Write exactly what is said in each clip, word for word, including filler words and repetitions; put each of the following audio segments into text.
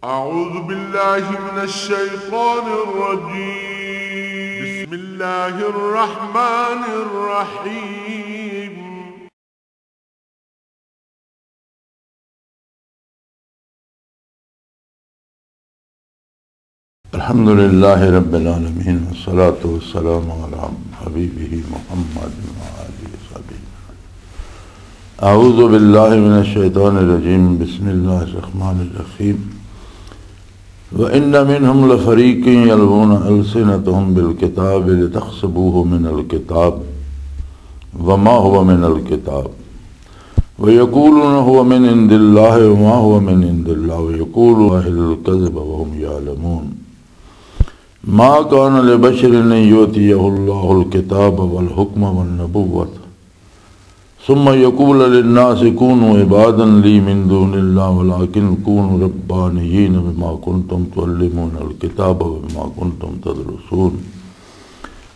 أعوذ بالله من الشيطان الرجيم. بسم الله الرحمن الرحيم. الحمد لله رب العالمين، والصلاة والسلام على حبيبه محمد وآله وصحبه. أعوذ بالله من الشيطان الرجيم. بسم الله الرحمن الرحيم. وإن منهم لفريقا يلوون ألسنتهم بالكتاب لتحسبوه من الكتاب وما هو من الكتاب ويقولون هو من عند الله وما هو من عند الله ويقولون الكذب وهم يعلمون. ما كان لبشر أن يؤتيه الله الكتاب والحكم والنبوة ثم يقول للناس كونوا عبادا لي من دون الله ولكن كونوا ربانيين بما كنتم تعلمون الكتاب وبما كنتم تدرسون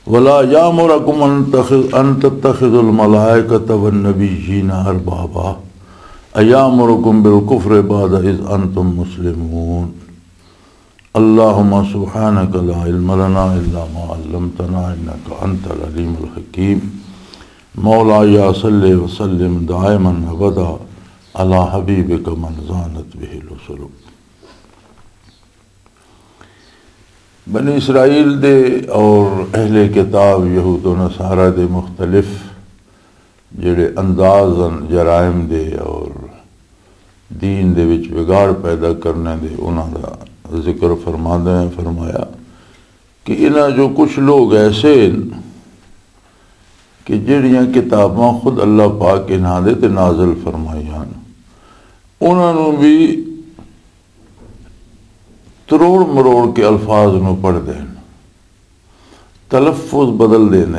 ولا يأمركم أن تخ-، أن تتخذوا الملائكة والنبيين أربابا أيأمركم بالكفر بعد إذ أنتم مسلمون. اللهم سبحانك لا علم لنا إلا ما علمتنا إنك أنت العليم الحكيم. مولاي صل وسلم دائما أبدا على حبيبك من زانت به الوصول. بنی اسرائیل دے اور اہل کتاب یہود و نصارہ دے مختلف جڑے انداز ہن جرائم دے اور دین دے وچ بگاڑ پیدا کرنے دے، انہاں دا ذکر فرماندے ہیں فرمایا کہ انہاں جو کچھ لوگ ایسے ہیں کہ جڑیاں کتاباں خود اللہ پاک انہاں دے تے نازل فرمائیاں ہن، انہاں نوں بھی تروڑ مروڑ کے الفاظ نوں پڑھ دین، تلفظ بدل دین۔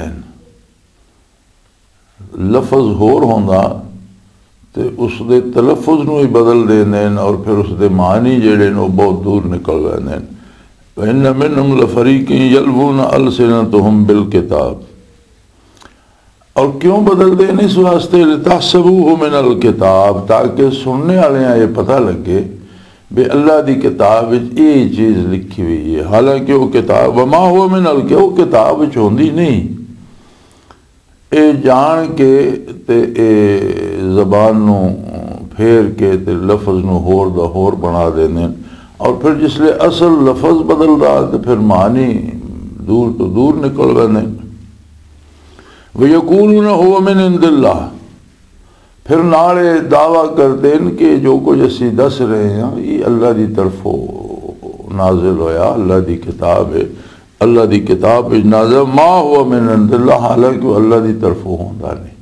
لفظ ہور ہوندا تے اس دے تلفظ نوں ہی بدل دین اور پھر اس دے معنی جڑے نے، وہ بہت دور نکل ویندے نے۔ وَإِنَّ مِنْهُمْ لَفَرِيقًا يَلْوُونَ أَلْسِنَتَهُمْ بِالْكِتَابِ۔ اور کیوں بدل دین؟ اس واسطے، لِتَحْسَبُوهُ مِنَ الْكِتَابِ، تاکہ سننے والے یہ پتہ لگے بھی اللہ دی کتاب وچ یہ چیز لکھی ہوئی ہے، حالانکہ وہ کتاب، وما هو من الک-، وہ کتاب وچ ہوندی نہیں۔ اے جان کے تے اے زبان نو پھیر کے تے لفظ نو ہور دا ہور بنا دیندے نے، اور پھر جس لے اصل لفظ بدلدا تے پھر معنی دور تو دور نکل ویندے نے۔ وَيَقُولُونَ هُوَ مِنْ عِنْدِ اللَّهِ، پھر نال اے دعویٰ کردے نے کہ جو کچھ اسی دس رہے ہیں، یہ اللہ دی طرفوں نازل ہویا، اللہ دی کتاب ہے، اللہ دی کتاب وچ نازل، ما هو من عند اللہ، حالانکہ وہ اللہ دی طرفوں ہوندا نہیں۔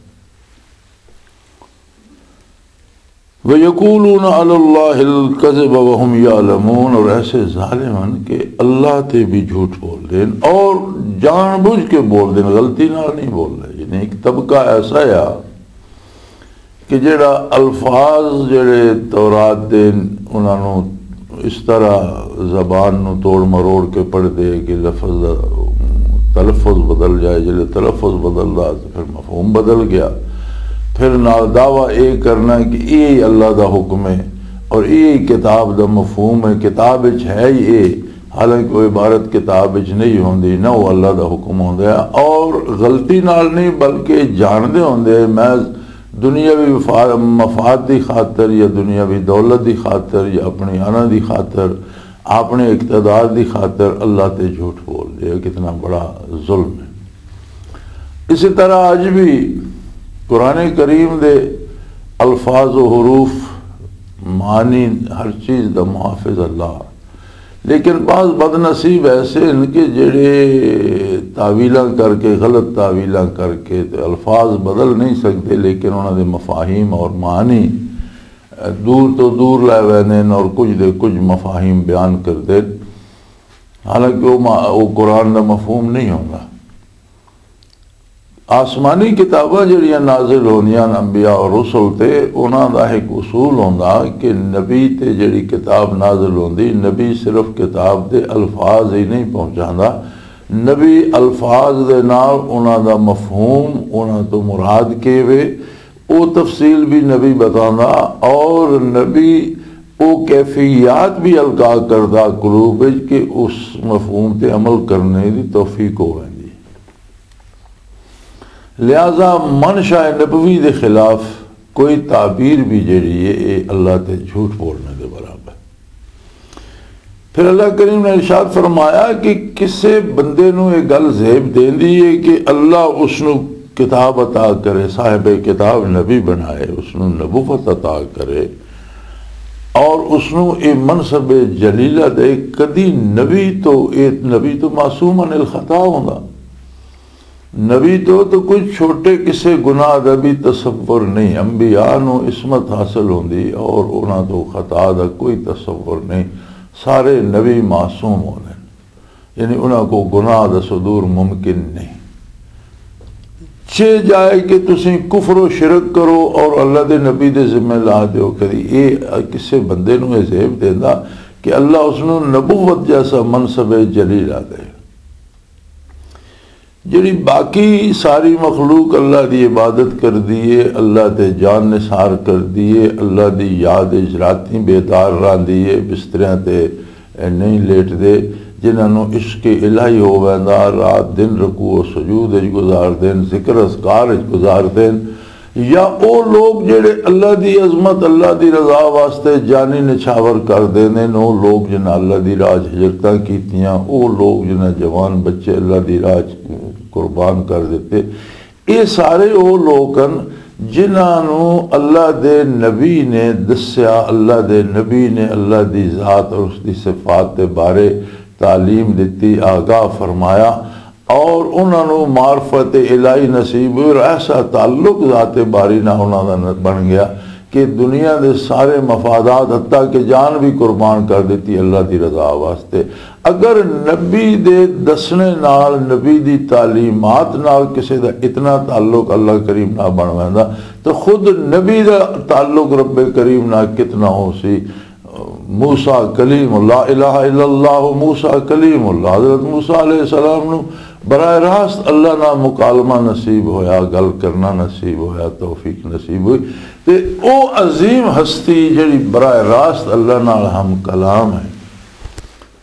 وَيَقُولُونَ عَلَى اللَّهِ الْكَذِبَ وَهُمْ يَعْلَمُونَ، اور ایسے ظالم ہیں کہ اللہ تے بھی جھوٹ بول دین اور جان بوجھ کے بول دین، غلطی نال نہیں بول رہے۔ یعنی ایک طبقہ ایسا ہے کہ جڑا الفاظ جڑے تورات دے، انہاں نوں اس طرح زبان نوں توڑ مروڑ کے پڑھ دے کہ لفظ دا تلفظ بدل جائے، جڑے تلفظ بدلدا تے پھر مفہوم بدل گیا۔ پھر نال دعویٰ اے کرنا کہ اے اللہ دا حکم ہے اور اے کتاب دا مفہوم ہے، کتاب وچ ہے ہی اے، حالانکہ وہ عبارت کتاب وچ نہیں ہوندی، نہ وہ اللہ دا حکم ہوندا ہے۔ اور غلطی نال نہیں بلکہ جاندے ہوندے ہیں، میں دنیاوی وفا-، مفاد دی خاطر یا دنیاوی دولت دی خاطر یا اپنی انا دی خاطر، اپنے اقتدار دی خاطر اللہ تے جھوٹ بول دے، کتنا بڑا ظلم ہے۔ اسی طرح اج بھی قرآن کریم دے الفاظ و حروف، معنی، ہر چیز دا محافظ اللہ، لیکن بعض بد نصیب ایسے ہیں کہ جڑے تعویلاں کر کے، غلط تعویلاں کر کے تے الفاظ بدل نہیں سکتے، لیکن انہاں دے مفاہیم اور معنی دور تو دور لے ویندے ہیں اور کچھ دے کچھ مفاہیم بیان کردے، حالانکہ وہ ما-، وہ قرآن دا مفہوم نہیں ہوندا۔ آسمانی کتاباں جڑیاں نازل ہوندیاں نے انبیاء اور رسل تے، انہاں دا ایک اصول ہوندا کہ نبی تے جڑی کتاب نازل ہوندی، نبی صرف کتاب دے الفاظ ہی نہیں پہنچاندا، نبی الفاظ دے نال انہاں دا مفہوم، انہاں تو مراد کے وے، او تفصیل بھی نبی بتاندا، اور نبی وہ کیفیات بھی القا کردہ قلوب وچ کہ اس مفہوم تے عمل کرنے دی توفیق ہو ویندی۔ لہذا منشا نبوی دے خلاف کوئی تعبیر بھی جڑی ہے، اے اللہ تے جھوٹ بولنے دے برابر۔ پھر اللہ کریم نے ارشاد فرمایا کہ کسے بندے نو یہ گل زیب دیندی ہے کہ اللہ اس نو کتاب عطا کرے، صاحب کتاب نبی بنائے، اس نو نبوت عطا کرے، اور اس نو یہ منصب جلیلہ دے۔ کدی نبی تو، یہ نبی تو معصوم عن الخطا ہوندا۔ نبی تو تو کوئی چھوٹے کسے گناہ دا بھی تصور نہیں۔ انبیاء نو عصمت حاصل ہوندی اور انہاں تو خطا دا کوئی تصور نہیں۔ سارے نبی معصوم ہوندے نے، یعنی انہاں کو گناہ دا صدور ممکن نہیں۔ چے جائے کہ تسی کفر و شرک کرو اور اللہ دے نبی دے ذمہ لا دیو، کدی اے کسے بندے نو اے زیب دیندا کہ اللہ اس نو نبوت جیسا منصب جلیلہ دے؟ جڑی باقی ساری مخلوق اللہ دی عبادت کردی ہے، اللہ تے جان نثار کردی ہے، اللہ دی یاد اچ راتیں بیدار راندی ہے، بستریاں تے نہیں لیٹ دے، جنہاں نوں عشق الہی ہو ویندا، رات دن رکوع و سجود اچ گزار دین، ذکر اذکار اچ گزار دین، یا او لوگ جڑے اللہ دی عظمت، اللہ دی رضا واسطے جانی نچھاور کر دیندے نے، او لوگ جنہاں اللہ دی راہ چ ہجرتاں کیتیاں، او لوگ جنہاں جوان بچے اللہ دی راہ چ قربان کر دتے، اے سارے او لوگ ہن جنہاں نوں اللہ دے نبی نے دسیا، اللہ دے نبی نے اللہ دی ذات اور اس دی صفات دے بارے تعلیم دتی، آگاہ فرمایا، اور انہاں نوں معرفت الہی نصیب ہوئی اور ایسا تعلق ذات باری نال انہاں دا بن گیا کہ دنیا دے سارے مفادات، حتیٰ کہ جان بھی قربان کر دتی اللہ دی رضا واسطے۔ اگر نبی دے دسنے نال، نبی دی تعلیمات نال کسے دا اتنا تعلق اللہ کریم نال بن ویندا تو خود نبی دا تعلق رب کریم نال کتنا ہو سی۔ موسیٰ کلیم اللہ، الہ الا اللہ، موسیٰ کلیم اللہ۔ حضرت موسیٰ علیہ السلام نو براہ راست اللہ نال مکالمہ نصیب ہویا، گل کرنا نصیب ہویا، توفیق نصیب ہوئی۔ تے او عظیم ہستی جڑی براہ راست اللہ نال ہم کلام ہے،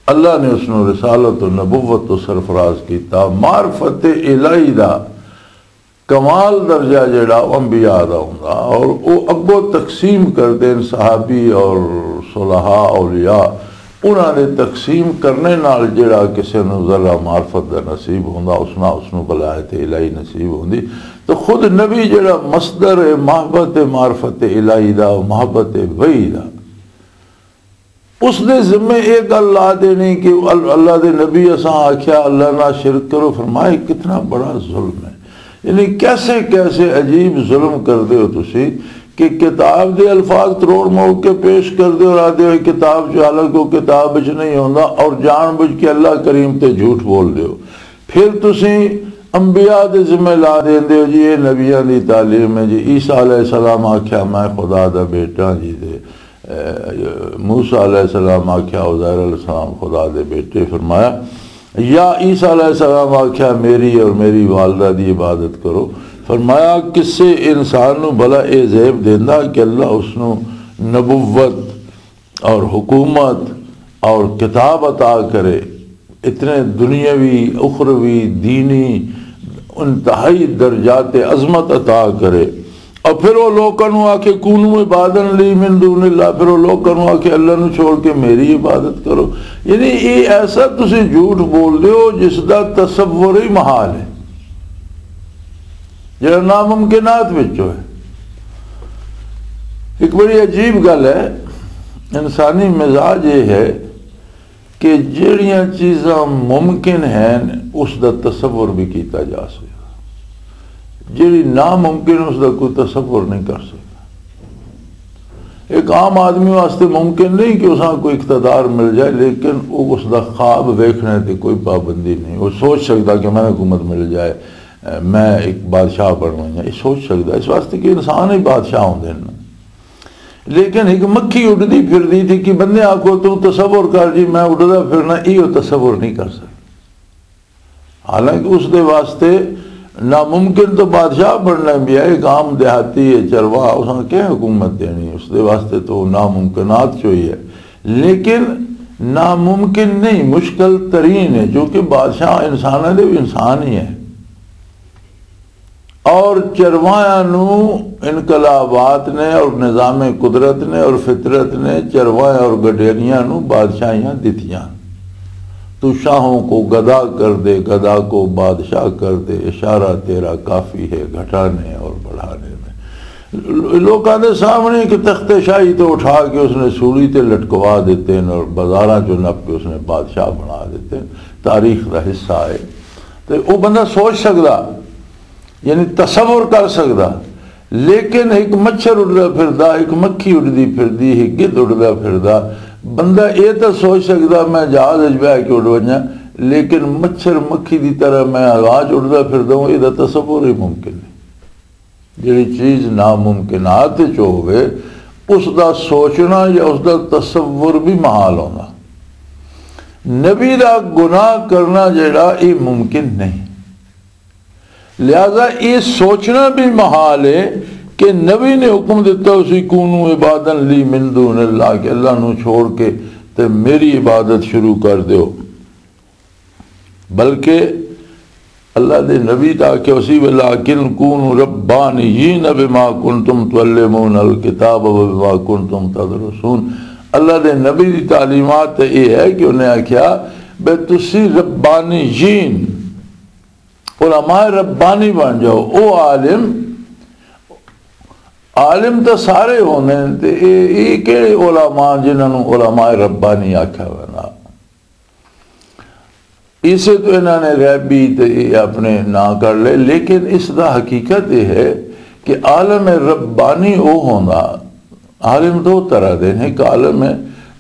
اللہ نے اس نو رسالت و نبوت تو سرفراز کیتا۔ معرفت الہی دا کمال درجہ جڑا او انبیاء دا ہوندا، اور او اگوں تقسیم کردے نے صحابی اور صلحاء اولیاء، انہاں دے تقسیم کرنے نال جڑا کسے نوں ذرہ معرفت دا نصیب ہوندا، اس نال اس نوں ولایت الہی نصیب ہوندی۔ تو خود نبی جڑا مصدر ہے محبت معرفت الہی دا، محبت وحی دا، اس دے ذمے یہ گل لا دینی کہ ال-، اللہ دے نبی اساں آکھیا اللہ نہ شرک کرو، فرمایا کتنا بڑا ظلم ہے۔ یعنی کیسے کیسے عجیب ظلم کر دے ہو تسی کہ کتاب دے الفاظ تروڑ موڑ کے پیش کر دے اور آدھے ہوئے کتاب جو حالانکہ وہ کتاب وچ نہیں ہوندا اور جان بوجھ کے اللہ کریم تے جھوٹ بول دے ہو۔ پھر تسی انبیاء دے ذمہ لا دیندے ہو جی، یہ نبیاں دی تعلیم ہے جی، عیسیٰ علیہ السلام آکھیا میں خدا دا بیٹا جی، تے موسیٰ علیہ السلام آکھیا عزیر علیہ السلام خدا دے بیٹے۔ فرمایا، یا عیسیٰ علیہ السلام آکھیا میری اور میری والدہ دی عبادت کرو۔ فرمایا، کسے انسان نو بھلا اے زیب دیندا کہ اللہ اس نو نبوت اور حکومت اور کتاب عطا کرے، اتنے دنیاوی، اخروی، دینی انتہائی درجات عظمت عطا کرے، اور پھر وہ لوکاں نوں آکھے، "کونوا عباداً لی من دون اللہ"، پھر وہ لوکاں نوں آکھے، "اللہ نوں چھوڑ کے میری عبادت کرو"۔ یعنی یہ ایسا تسی جھوٹ بول رہے ہو جس دا تصور ہی محال ہے، جڑا ناممکنات وچوں ہے۔ ایک بڑی عجیب گل ہے، انسانی مزاج یہ ہے کہ جڑیاں چیزاں ممکن ہیں، اس دا تصور بھی کیتا جا سکتا، جڑی ناممکن، اس دا کوئی تصور نہیں کر سکتا۔ ایک عام آدمی واسطے ممکن نہیں کہ اساں کوئی اقتدار مل جائے، لیکن وہ اس دا خواب ویکھنے تے کوئی پابندی نہیں۔ وہ سوچ سکتا کہ میں حکومت مل جائے، میں ایک بادشاہ بنواں، یہ سوچ سکتا، اس واسطے کہ انسان ہی بادشاہ ہوندے ہیں۔ لیکن ایک مکھی اڈدی پھردی تھی کہ بندے آکھو تو تصور کر جی، میں اڈدا پھرنا، یہ تصور نہیں کر سکتا۔ حالانکہ اس دے واسطے ناممکن تو بادشاہ بننا بھی ہے، ایک عام دیہاتی ہے، چرواہا، اس نے کیا حکومت دینی؟ اس دے واسطے تو ناممکنات چوئی ہے۔ لیکن ناممکن نہیں، مشکل ترین ہے، چونکہ بادشاہ انساناں دے بھی انسان ہی ہے۔ اور چرواہاں نو انقلابات نے اور نظام قدرت نے اور فطرت نے چرواہے اور گڈیریاں نو بادشاہیاں دتیاں۔ تو شاہوں کو گدا کر دے، گدا کو بادشاہ کر دے، اشارہ تیرا کافی ہے گھٹانے اور بڑھانے میں۔ لوکاں دے سامنے ایک تخت شاہی تو اٹھا کے اس نے سولی تے لٹکوا دیتے ہیں اور بازاراں چوں نپ کے اس نے بادشاہ بنا دیتے ہیں۔ تاریخ دا حصہ ہے۔ تے او بندہ سوچ سکدا، یعنی تصور کر سکدا، لیکن ایک مچھر اڈدا پھردا، ایک مکھی اڈدی پھردی، ایک گدھ اڈدا پھردا۔ بندہ اے تاں سوچ سکدا میں جہاز وچ بہہ کے اڈ ونجاں، لیکن مچھر مکھی دی طرح میں ہوا چ اڈدا پھردا ہوں، اے دا تصور ہی ممکن نہیں۔ جڑی چیز ناممکنات وچ ہووے، اس دا سوچنا یا اس دا تصور بھی محال ہوندا۔ نبی دا گناہ کرنا جڑا، یہ ممکن نہیں۔ لہذا یہ سوچنا بھی محال ہے کہ نبی نے حکم دیتا اسی کونو عباداً لی من دون اللہ، کہ اللہ نو چھوڑ کے تے میری عبادت شروع کر دیو۔ بلکہ اللہ دے نبی تاکہ اسی، وَلَٰكِن كُونُوا رَبَّانِيِّينَ بِمَا كُنتُمْ تُعَلِّمُونَ الْكِتَابَ وَبِمَا كُنتُمْ تَدْرُسُونَ۔ اللہ دے نبی دی تعلیمات تے یہ ہے کہ انہیں آکھیا، بے تسی ربانیین، علماء ربانی بن جاؤ۔ او عالم، عالم تو سارے ہوندے نے، تے اے، اے کہڑے علماء جنہاں نوں علماء ربانی آکھیا ویندا؟ اسے تو انہاں نے غیبی تے اے اپنے ناں کر لے، لیکن اس دا حقیقت یہ ہے کہ عالم ربانی او ہوندا، عالم دو طرح دے نے۔ ایک عالم ہے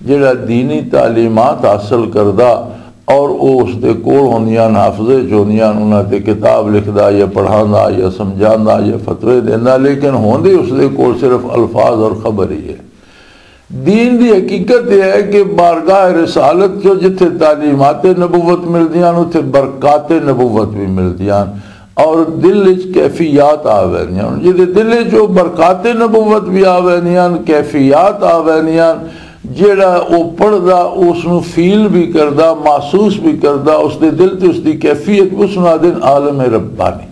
جڑا دینی تعلیمات حاصل کردا اور او اس دے کول ہوندیاں، حافظے چ ہوندیاں، انہاں تے کتاب لکھدا یا پڑھاندا یا سمجھاندا یا فتوے دیندا، لیکن ہوندے اس دے کول صرف الفاظ اور خبر ہی ہے۔ دین دی حقیقت یہ ہے کہ بارگاہ رسالت چو جتھے تعلیمات نبوت ملدیاں، اتھے برکات نبوت بھی ملدیاں، اور دل وچ کیفیات آ ویندیاں۔ جدے دل وچ او برکات نبوت بھی آ ویندیاں، کیفیات آ ویندیاں، جیڑا او پڑھدا اس نو فیل بھی کردا، محسوس بھی کردا، اس دے دل تے اس دی کیفیت، اس نو آدن عالم ربانی۔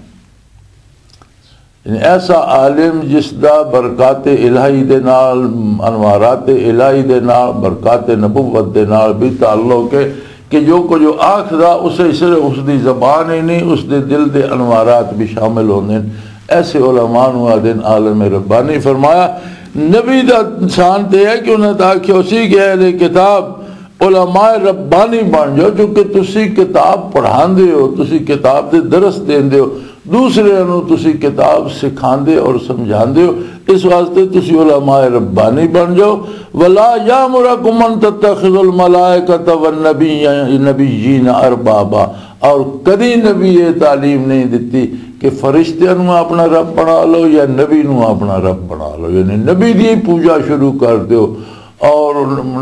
یعنی ایسا عالم جس دا برکات الہی دے نال، انوارات الہی دے نال، برکات نبوت دے نال بھی تعلق ہے کہ جو کچھ وہ آکھدا، اسے صرف اس دی زبان ہی نہیں، اس دے دل دے انوارات بھی شامل ہوندے ہیں۔ ایسے علماء نوں آدن عالم ربانی۔ فرمایا، نبی دا شان تے ہے کہ انہاں دا آکھیا اسی کہ اہل کتاب علماء ربانی بن جاؤ، چونکہ تسی کتاب پڑھاندے ہو، تسی کتاب دے درس دیندے ہو، دوسرے نوں تسی کتاب سکھاندے اور سمجھاندے ہو، اس واسطے تسی علماء ربانی بن جاؤ۔ ولا یامرکم ان تتخذوا الملائکۃ والنبی، نبیین اربابا، اور کدی نبی یہ تعلیم نہیں دتی کہ فرشتیاں نوں اپنا رب بنا لو یا نبی نوں اپنا رب بنا لو، یعنی نبی دی پوجا شروع کر دیو۔ اور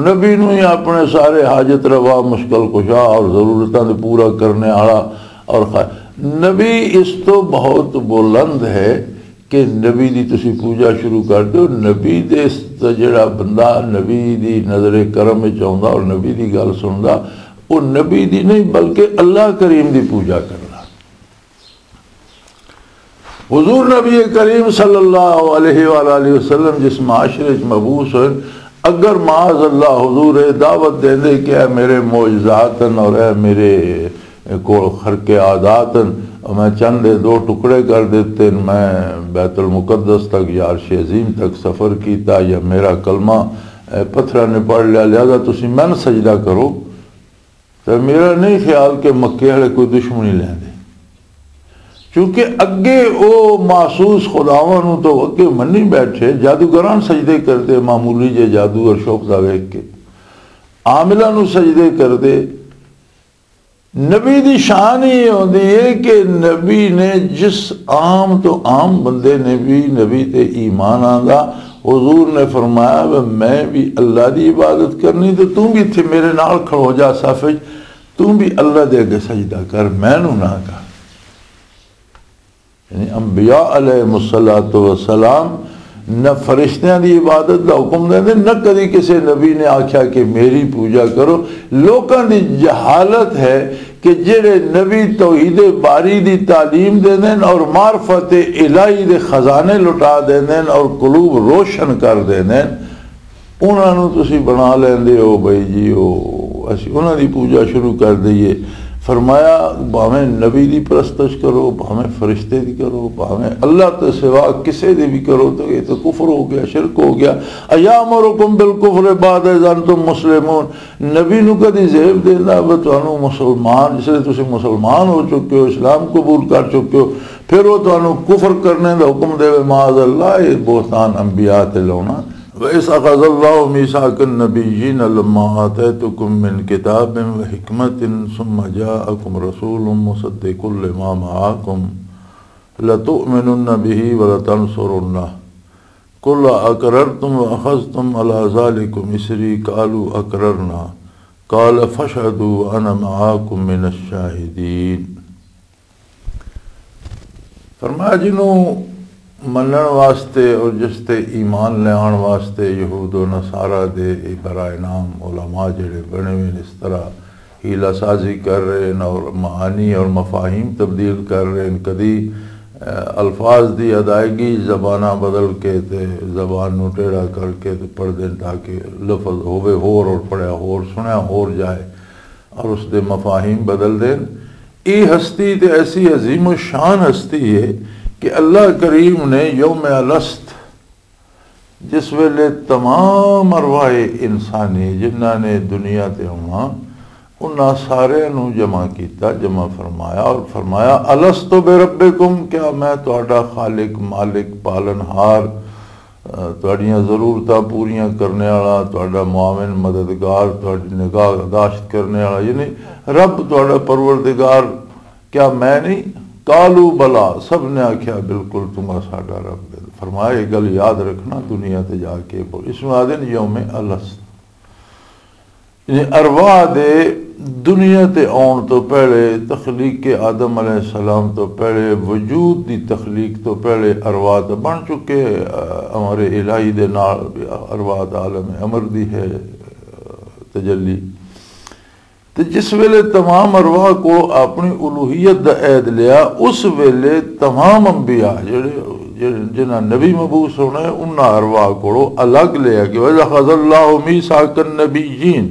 نبی نوں ہی اپنے سارے حاجت روا، مشکل کشا اور ضرورتاں دے پورا کرنے والا۔ اور خا-، نبی اس تو بہت بلند ہے کہ نبی دی تسی پوجا شروع کر دیو۔ نبی دے اس تے جڑا بندہ نبی دی نظر کرم وچ آوندا اور نبی دی گل سندا، وہ نبی دی نہیں بلکہ اللہ کریم دی پوجا کردا۔ حضور نبی کریم صلی اللہ علیہ وآلہ وسلم جس معاشرے وچ مبعوث ہوئے، اگر معاذ اللہ حضور اے دعوت دیندے کہ اے میرے معجزات ہیں اور اے میرے کول خرق عادات ہیں، میں چند دے دو ٹکڑے کر دیتے ہیں، میں بیت المقدس تک یا عرش عظیم تک سفر کیتا یا میرا کلمہ اے پتھراں نے پڑھ لیا، لہذا تسی مینوں سجدہ کرو۔ تے میرا نہیں خیال کہ مکے والے کوئی دشمنی لیندے، کیونکہ اگے او محسوس خداواں نوں تو اگے منی بیٹھے، جادوگراں سجدے کردے، معمولی جے جادو اور شوق دا ویکھ کے عاملاں نوں سجدے کردے۔ نبی دی شان ہی یہ ہوندی ہے کہ نبی نے جس عام تو عام بندے نے بھی نبی تے ایمان آندا، حضور نے فرمایا، "وے میں بھی اللہ دی عبادت کرنی تے توں بھی اتھے میرے نال کھڑو جا صف وچ، توں بھی اللہ دے اگے سجدہ کر، مینوں نہ کر۔" یعنی انبیاء علیہ الصلوۃ والسلام نہ فرشتیاں دی عبادت دا حکم دیندے، نہ کدی کسی نبی نے آکھیا کہ میری پوجا کرو۔ لوکاں دی جہالت ہے کہ جڑے نبی توحید باری دی تعلیم دیندے اور معرفت الہی دے خزانے لٹا دیندے اور قلوب روشن کر دیندے، انہاں نوں تسی بنا لیندے ہو بھائی جی، او اسی انہاں دی پوجا شروع کر دئیے۔ فرمایا، بھاویں نبی دی پرستش کرو، بھاویں فرشتے دی کرو، بھاویں اللہ تے سوا کسے دی بھی کرو، تو یہ تو کفر ہو گیا، شرک ہو گیا۔ ایامرکم بالکفر بعد اذ انتم مسلمون۔ نبی نو کدی زیب دینا، وہ تانوں مسلمان، جس لئے تسی مسلمان ہو چکے ہو، اسلام قبول کر چکے ہو، پھر وہ تانوں کفر کرنے دا حکم دے، معاذ اللہ، یہ بہتان انبیاء تے لاؤنا۔ وَإِذْ أَخَذَ اللَّهُ مِيثَاقَ النَّبِيِّينَ لَمَّا آتَيْتُكُم مِّن كِتَابٍ وَحِكْمَةٍ ثُمَّ جَاءَكُم رَّسُولٌ مُّصَدِّقٌ لِّمَا مَعَكُمْ لَتُؤْمِنُنَّ بِهِ وَلَتَنصُرُنَّهُ قَالَ أَقْرَرْتُمْ وَأَخَذْتُمْ عَلَىٰ ذَٰلِكُمْ إِصْرِي قَالُوا أَقْرَرْنَا قَالَ فَاشْهَدُوا وَأَنَا مَعَكُم مِّنَ الشَّاهِدِينَ۔ فرمایا، جنوں منن واسطے اور جس تے ایمان لیان واسطے یہود و نصارہ دے اے برائے نام علماء جڑے بنے ہوئے نے، اس طرح حیلہ سازی کر رہے ہیں اور معانی اور مفاہیم تبدیل کر رہے ہیں، کدی اے، الفاظ دی ادائیگی زباناں بدل کے تے زبان نو ٹیڑھا کر کے تے پڑھ دین تاکہ لفظ ہووے ہور اور پڑھیا ہور، سنیا ہور جائے اور اس دے مفاہیم بدل دین۔ اے ہستی تے ایسی عظیم و شان ہستی ہے کہ اللہ کریم نے یوم الست، جس ویلے تمام ارواح انسانی جنہاں نے دنیا تے آنا، انہاں سارے نو جمع کیتا، جمع فرمایا اور فرمایا، "الست بربکم، کیا میں تہاڈا خالق، مالک، پالن ہار، اہ، تہاڈیاں ضرورتاں پوریاں کرنے والا، تہاڈا معاون، مددگار، تہاڈی نگاہ داشت کرنے والا، یعنی رب تہاڈا پروردگار، کیا میں نہیں؟" قالوا بلا، سب نے آکھیا، "بالکل تم ساڈا رب ہے۔" فرمایا، یہ گل یاد رکھنا، دنیا تے جا کے بول، اس میں آدھے نے یوم الست۔ یعنی ارواح دے دنیا تے آن تو پہلے، تخلیق آدم علیہ السلام تو پہلے، وجود دی تخلیق تو پہلے ارواح تو بن چکے، اہ، امر الہی دے نال ارواح دا عالم امر دی ہے، اہ، تجلی۔ تے جس ویلے تمام ارواح کو اپنی الوہیت دا عہد لیا، اس ویلے تمام انبیاء جڑے، جڑے، جنہاں نبی مبعوث ہونا ہے، انہاں ارواح کو الگ لیا کہ "وَإِذْ أَخَذَ اللَّهُ مِيثَاقَ النَّبِيِّينَ"،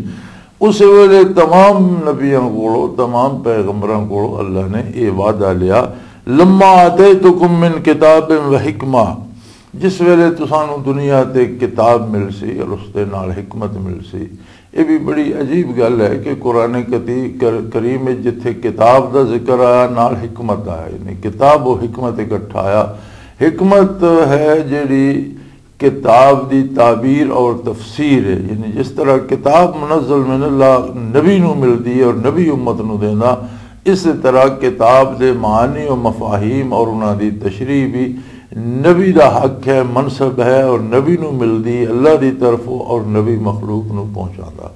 اس ویلے تمام نبیاں کو، تمام پیغمبراں کو اللہ نے یہ وعدہ لیا، "لَمَّا آتَيْتُكُم مِّن كِتَابٍ وَحِكْمَةٍ"، جس ویلے تسانوں دنیا تے کتاب مل سی اور اس دے نال حکمت مل سی۔ یہ بھی بڑی عجیب گل ہے کہ قرآن کتی-، کر-، کریم وچ جتھے کتاب دا ذکر آیا، نال حکمت آیا، یعنی کتاب و حکمت اکٹھا آیا۔ حکمت ہے جڑی کتاب دی تعبیر اور تفسیر ہے، یعنی جس طرح کتاب منزل من اللہ نبی نو ملدی ہے اور نبی امت نو دیندا، اس طرح کتاب دے معانی و مفاہیم اور انہاں دی تشریح بھی نبی دا حق ہے، منصب ہے، اور نبی نو ملدی اللہ دی طرفوں اور نبی مخلوق نو پہنچاندا۔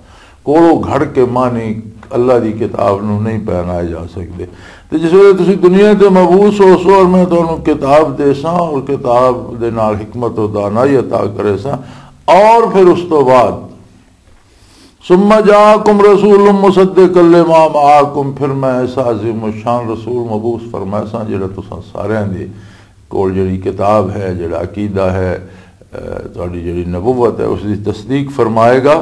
کولو گھڑ کے معنی اللہ دی کتاب نو نہیں پہنائے جا سکدے۔ تے جس ویلے تسی دنیا تے مبعوث ہو سو اور میں تانوں کتاب دے ساں اور کتاب دے نال حکمت و دانائی عطا کرے ساں، اور پھر اس تو بعد ثم جاءکم رسول مصدق لما معکم، پھر میں ایسا عظیم الشان رسول مبعوث فرمائے ساں جڑا تساں سارے دے کول جڑی کتاب ہے، جڑا عقیدہ ہے، اے، تہاڈی جڑی نبوت ہے، اس دی تصدیق فرمائے گا۔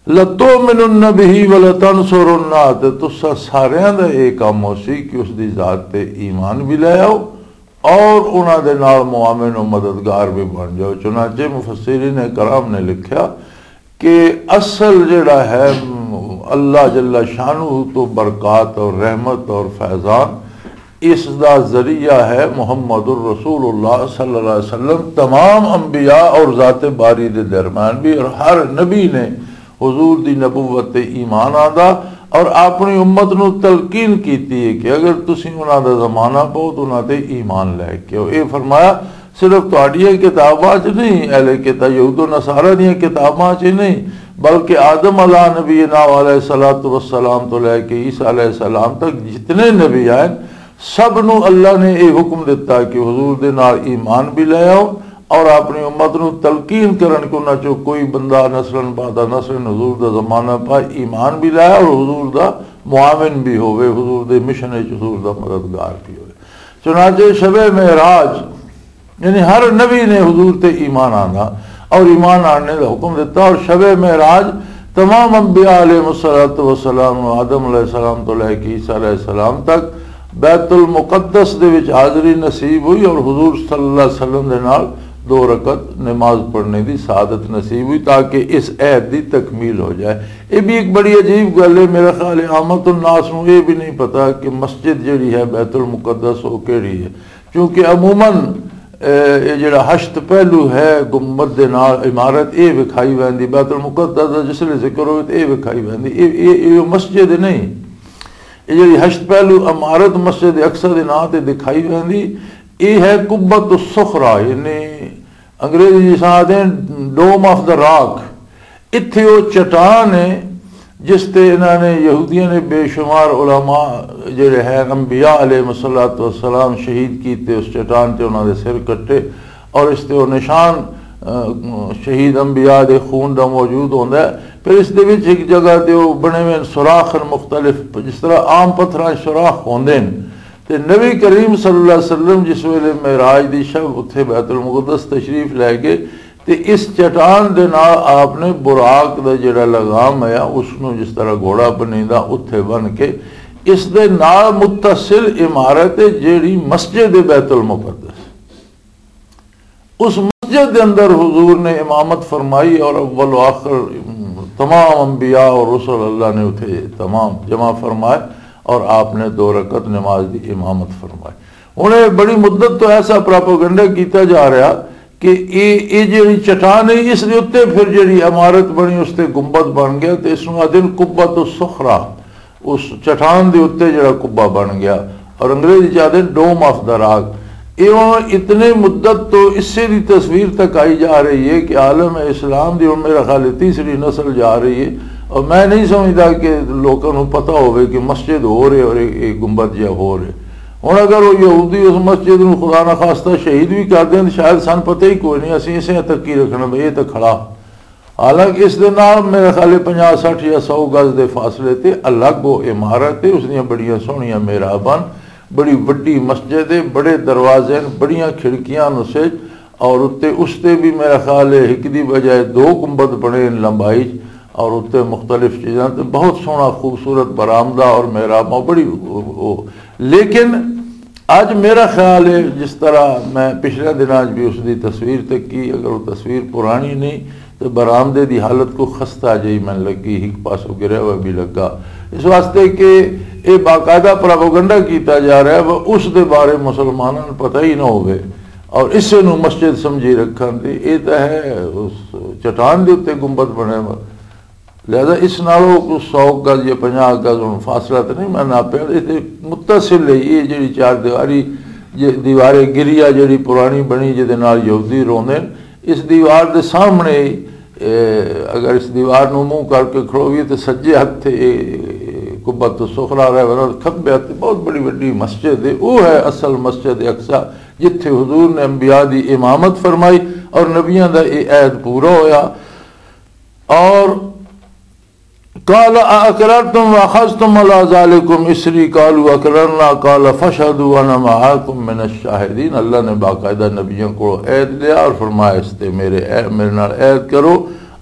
لَتُؤْمِنُنَّ بِهِ وَلَتَنْصُرُنَّهُ، تے تساں ساریاں دا اے کام ہو سی کہ اس دی ذات تے ایمان بھی لے آؤ اور انہاں دے نال معاون و مددگار بھی بن جاؤ۔ چنانچہ مفسرین کرام نے لکھیا کہ اصل جڑا ہے اللہ جل شانہ تو برکات اور رحمت اور فیضان، اس دا ذریعہ ہے محمد الرسول اللہ صلی اللہ علیہ وسلم۔ تمام انبیاء اور ذات باری دے درمیان بھی، اور ہر نبی نے حضور دی نبوت تے ایمان آندا اور اپنی امت نو تلقین کیتی ہے کہ اگر تسی انہاں دا زمانہ پاؤ تو انہاں تے ایمان لے کے آؤ۔ اے فرمایا، صرف تہاڈیاں کتاباں چ نہیں، اہل کتاب یہود و نصارہ دیاں کتاباں چ نہیں، بلکہ آدم علیہ نبینا علیہ الصلوۃ والسلام تو لے کے عیسیٰ علیہ السلام تک جتنے نبی آئے، سب نو اللہ نے یہ حکم دیتا کہ حضور دے نال ایمان بھی لے آؤ، اور اپنی امت نو تلقین کرن کہ انہاں چوں کوئی بندہ نسلاً بعد نسلاً حضور دا زمانہ پائے، ایمان بھی لائے اور حضور دا معاون بھی ہوئے، حضور دے مشن وچ حضور دا مددگار بھی ہوئے۔ چنانچہ شب معراج، یعنی ہر نبی نے حضور تے ایمان آنا اور ایمان آنے دا حکم دیتا، اور شب معراج تمام انبیاء علیہ الصلوۃ والسلام نو، آدم علیہ السلام تو لے کے عیسیٰ علیہ السلام تک، بیت المقدس دے وچ حاضری نصیب ہوئی اور حضور صلی اللہ علیہ وسلم دے نال دو رکعت نماز پڑھنے دی سعادت نصیب ہوئی، تاکہ اس عہد دی تکمیل ہو جائے۔ یہ بھی ایک بڑی عجیب گل ہے۔ میرا خیال ہے عامت الناس نو یہ بھی نہیں پتا کہ مسجد جڑی ہے بیت المقدس، وہ کیڑی ہے، کیونکہ عموماً، اے، یہ جڑا ہشت پہلو ہے گنبد دے نال عمارت، یہ وکھائی ویندی۔ بیت المقدس دا جس لے ذکر ہوئے تو یہ وکھائی ویندی۔ یہ، یہ، یہ مسجد نہیں، یہ جڑی ہشت پہلو عمارت مسجد اقصی دے نام تے دکھائی ویندی، یہ ہے قبۃ الصخرہ، یعنی انگریزی جس آدھے ڈوم آف دا راک۔ اتھے وہ چٹان ہے جس تے انہاں نے، یہودیاں نے، بے شمار علماء جڑے ہیں، انبیاء علیہ الصلوۃ والسلام شہید کیتے، اس چٹان تے انہاں دے سر کٹے اور اس تے وہ نشان، آ، شہید انبیاء دے خون دا موجود ہوندا ہے۔ پھر اس دے وچ ایک جگہ تے وہ بنے ہوئے سوراخ ہیں مختلف، جس طرح عام پتھراں 'چ سوراخ ہوندے ہیں۔ تے نبی کریم صلی اللہ علیہ وسلم جس ویلے معراج دی شب اتھے بیت المقدس تشریف لے گئے، تے اس چٹان دے نال آپ نے براق دا جڑا لگام ہے، اس نوں جس طرح گھوڑا بنیندا، اتھے بن کے اس دے نال متصل عمارت ہے، جڑی مسجد بیت المقدس، اس مسجد دے اندر حضور نے امامت فرمائی، اور اول و آخر تمام انبیاء اور رسل اللہ نے اتھے تمام جمع فرمائے، اور آپ نے دو رکعت نماز دی امامت فرمائی۔ ہن یہ بڑی مدت تو ایسا پراپوگنڈا کیتا جا رہا کہ یہ، یہ جڑی چٹان ہے، اس دے اُتے پھر جڑی عمارت بنی، اس تے گنبد بن گیا، تے اس نوں آدھے نے قبۃ الصخرہ، اس چٹان دے اُتے جڑا قبہ بن گیا، اور انگریزی چ آدھے ڈوم آف دا راک۔ یہ ہن اتنے مدت تو اسے دی تصویر تک آئی جا رہی ہے کہ عالم اسلام دی ہن میرا خیال ہے تیسری نسل جا رہی ہے، اور میں نہیں سمجھدا کہ لوکاں نوں پتہ ہوے کہ مسجد ہو رہے اور یہ، یہ گنبد جہا ہو رہے۔ ہن اگر وہ یہودی اس مسجد نوں خدا نہ خواستہ شہید بھی کر دین، شاید سن پتہ ہی کوئی نہیں، اسی اسے تک کی رکھنا بھئی، یہ تو کھڑا۔ حالانکہ اس دے نال میرے خیال پنجاہ، سٹھ یا سو گز دے فاصلے تے الگ وہ عمارت ہے، اس دیاں بڑیاں سوہنیاں محراباں، بڑی وڈی مسجد ہے، بڑے دروازے ہیں، بڑیاں کھڑکیاں نسج، اور اُتے، اس تے بھی میرا خیال ہے ایک دی بجائے دو گنبد بنے ہیں لمبائی چ، اور اُتے مختلف چیزاں تے بہت سوہنا خوبصورت برآمدہ اور محراباں بڑی، او، او۔ لیکن اج میرا خیال ہے، جس طرح میں پچھلے دناں 'چ بھی اس دی تصویر تکی، اگر وہ تصویر پرانی نہیں تو برآمدے دی حالت کو خستہ جہی میں لگی، ایک پاسوں گریا ہوا بھی لگا، اس واسطے کہ یہ باقاعدہ پروپیگنڈا کیتا جا رہا ہے، وہ اس دے بارے مسلمانوں نوں پتہ ہی نہ ہوئے اور اسے نوں مسجد سمجھی رکھن دی۔ یہ تو ہے اس چٹان دے اُتے گنبد بنے ہوا، لہذا اس نالوں کوئی سو گز یا پنجاہ گز ہن فاصلہ تو نہیں، میں ناپیا، یہ تے متصل ہے، یہ جڑی چار دیواری، یہ دیوار گریا جڑی پرانی بنی، جہدے نال یہودی روندے نے، اس دیوار دے سامنے، اے، اگر اس دیوار نوں منہ کر کے کھڑویے تے سجے ہتھ تے، اے، قبۃ الصخرہ رہ ورا، کھبے ہتھ تے بہت بڑی وڈی مسجد ہے، وہ ہے اصل مسجد اقصی، جتھے حضور نے انبیاء دی امامت فرمائی اور نبیاں دا یہ عہد پورا ہویا۔ اور قال اقررتم واخذتم على ذلكم اصري قالوا اقررنا قال فاشهدوا وانا معكم من الشاهدين۔ اللہ نے باقاعدہ نبیوں کو عہد لیا اور فرمایا، اس تے میرے عہد، میرے نال عہد کرو،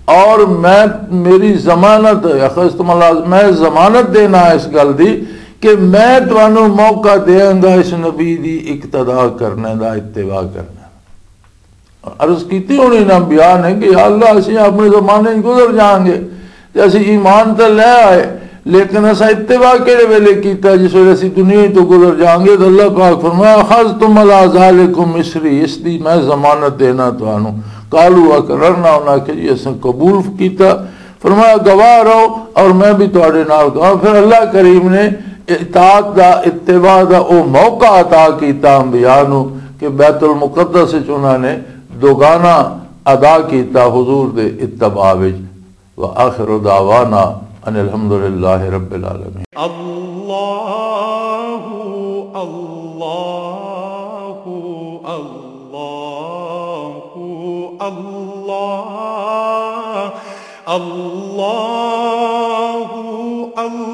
اور میں، میری ضمانت، اخذتم على، میں ضمانت دینا اس گل دی کہ میں تانوں موقع دیاں گا اس نبی دی اقتدا کرنے دا، اتباع کرنے دا۔ عرض کیتی ہونی انہاں انبیاء نے کہ یا اللہ، اسی اپنے زمانے وچ گزر جاؤں گے تے اسی ایمان تے لے آئے، لیکن اساں اتباع کہڑے ویلے کیتا؟ جس ویلے اسی دنیا تو گزر جاؤں گے۔ تو اللہ پاک فرمایا، "اخذتم على ذلكم اصري"، اس دی میں ضمانت دینا تانوں۔ قالوا اقررنا، انہاں کہ جی اساں قبول کیتا۔ فرمایا، "گواہ رہو اور میں بھی تہاڈے نال گواہ۔" پھر اللہ کریم نے اطاعت دا، اتباع دا او موقع عطا کیتا انبیاء نو کہ بیت المقدس وچ انہاں نے دوگانا ادا کیتا حضور دے اتباع وچ۔ وآخر دعوانا ان الحمدللہ رب العالمین۔ اللہ، اللہ۔ اللہ، اللہ، اللہ۔